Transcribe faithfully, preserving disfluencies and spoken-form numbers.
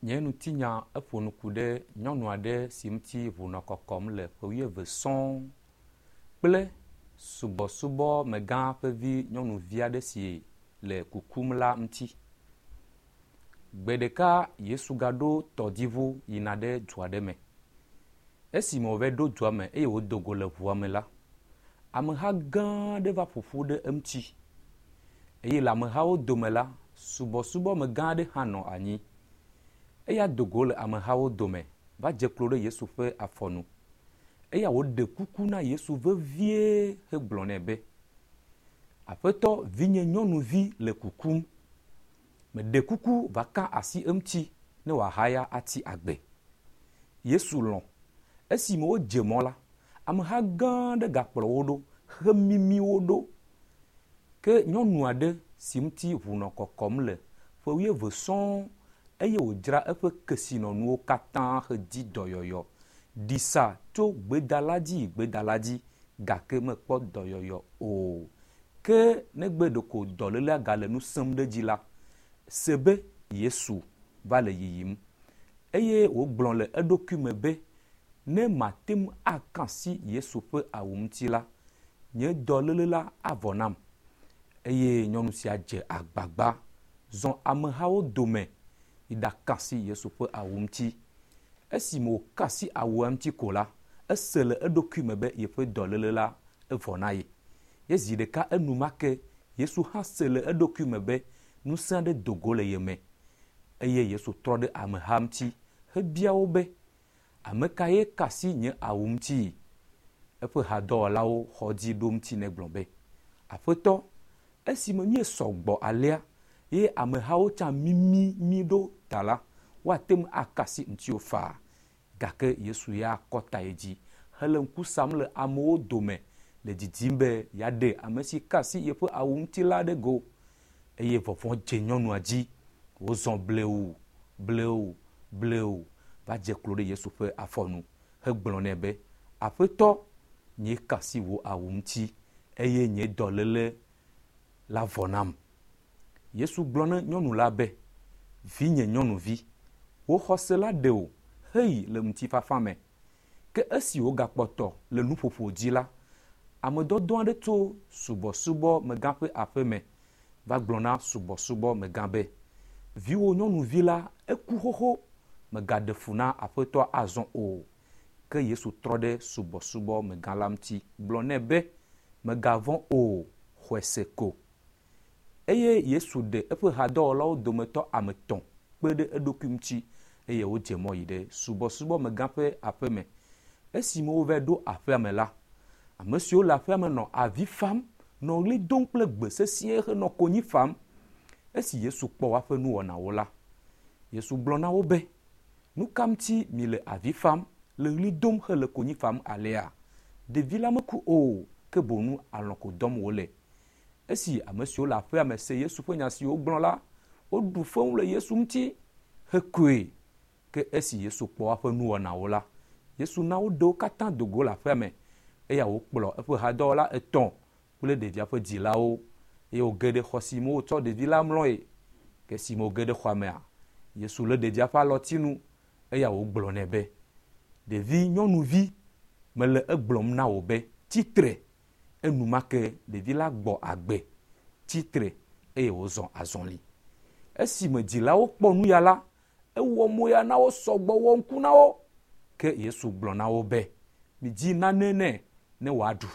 Nye ŋutinya eƒo nu ku ɖe nyɔnu aɖe si ŋuti ʋu nɔ kɔkɔm le ƒe wuieve sɔŋ kple subɔsubɔmegã ƒe vi nyɔnuvi aɖe si le kukum la ŋuti. Gbe ɖeka Yesu gaɖo tɔdziŋu yina ɖe du aɖe me. Esime wòva ɖo dua me eye wòdo go le ŋua me la, ameha gã aɖe va ƒoƒu ɖe eŋuti eye le amehawo dome la, subɔsubɔmegã aɖe hã nɔ anyi. Eya do go le amehawo dome va dze klo ɖe Yesu ƒe afɔnu. Eya wòɖe kuku na Yesu vevie hegblɔ nɛ be, Aƒetɔ, vinye nyɔnuvi le kukum. Meɖe kuku va ka asi eŋuti ne wòahaya atsi agbe. Yesu lɔ̃. Esime wodze mɔ la, ameha gã aɖe gakplɔ wo ɖo hemimi wo ɖo. Ke nyɔnu aɖe si ŋuti ʋu nɔ kɔkɔm le ƒe wuieve sɔŋ eye wòdzra eƒe kesinɔnuwo katã hedi dɔyɔyɔ ɖi sa tso gbedala dzi yi gbedala dzi gake mekpɔ dɔyɔyɔ o. Ke negbe ɖeko dɔlélea gale nu sẽm ɖe edzi la, se be Yesu va le yiyim eye wògblɔ le eɖokui me be, ne mate ŋu aka asi Yesu ƒe awu ŋuti la, nye dɔléle la avɔ nam. Eye nyɔnu sia dze agbagba zɔ amehawo dome yi ɖaka asi Yesu ƒe awu ŋuti. Esime wòka asi awua ŋuti ko la, ese le eɖokui me be yeƒe dɔléle la evɔ na ye. Ye zi ɖeka enumake Yesu hã se le eɖokui me be ŋusẽ aɖe do go le ye me eye Yesu trɔ ɖe ameha ŋuti hebia wo be, ame kae ka asi nye awu ŋuti? Eƒe hadɔwɔlawo xɔ dzi ɖo ŋuti nɛ gblɔ be, Aƒetɔ, esime míesɔ gbɔ alea ye amehawo tsã mimi mí ɖo ta la, woate ŋu aka asi ŋutiwò faa. Gake Yesu ya kɔ ta yi dzi hele ŋku sam le amewo dome le didim be yeaɖe ame si ka asi yeƒe awu ŋuti la ɖe go. Eye vɔvɔ̃ dze nyɔnua dzi. Wòzɔ blewu, blewu, blewu va dze klo ɖe Yesu ƒe afɔnu hegblɔ nɛ be, Aƒetɔ, nye ka asi wò awu ŋuti eye nye dɔléle la vɔ nam. Yesu gblɔ na nyɔnu la be, vinye nyɔnuvi, wò xɔse la ɖe wò heyi le ŋutifafa me. Ke esi wògakpɔtɔ le nuƒoƒo dzi la, ame dɔdɔ aɖe tso subɔsubɔmegã ƒe aƒe me va gblɔ na subɔsubɔmegã be, viwò nyɔnuvi la eku xoxo, mègaɖe fu na aƒetɔa azɔ o. Ke Yesu trɔ ɖe subɔsubɔmegã la ŋuti gblɔ nɛ be, mègavɔ̃ o, xɔe se ko. Eye Yesu ɖe eƒe hadɔwɔlawo dometɔ ame etɔ̃ kpe ɖe eɖokui ŋuti eye wodze mɔ yi ɖe subɔsubɔmegã ƒe aƒe me. Esime wova ɖo aƒea me la, ame siwo le aƒea me nɔ avi fam, nɔ ɣli dom kple gbe sesĩe henɔ konyi fam. Esi Yesu kpɔ woaƒe nuwɔnawo la, Yesu gblɔ na wo be, nu ka ŋuti mile avi fam, le ɣli dom hele konyi fam alea? Ɖevi la meku o, ke boŋ alɔ̃ ko dɔm wòle. Esi ame siwo le aƒea me se Yesu ƒe nya si wògblɔ la, woɖu fewu le Yesu ŋuti hekoe. Ke esi Yesu kpɔ woaƒe nuwɔnawo la, Yesu na woɖe wo katã do go le aƒea me eya wòkplɔ eƒe hadɔwɔla etɔ̃ kple ɖevia ƒe dzilawo eye wòge ɖe xɔ si me wotsɔ ɖevi la mlɔe. Ke esime wòge ɖe xɔa mea, Yesu lé ɖevia ƒe alɔtinu eya wògblɔ nɛ be, ɖevi nyɔnuvi, mele egblɔm na wò be, tsitre. Enumake ɖevi la gbɔ agbe, tsitre eye wòzɔ azɔli. Esime dzilawo kpɔ nu ya la, ewɔ moya na wo sɔgbɔ wɔ ŋku na wo. Ke Yesu gblɔ na wo be, midzi nane nɛ ne wòaɖu.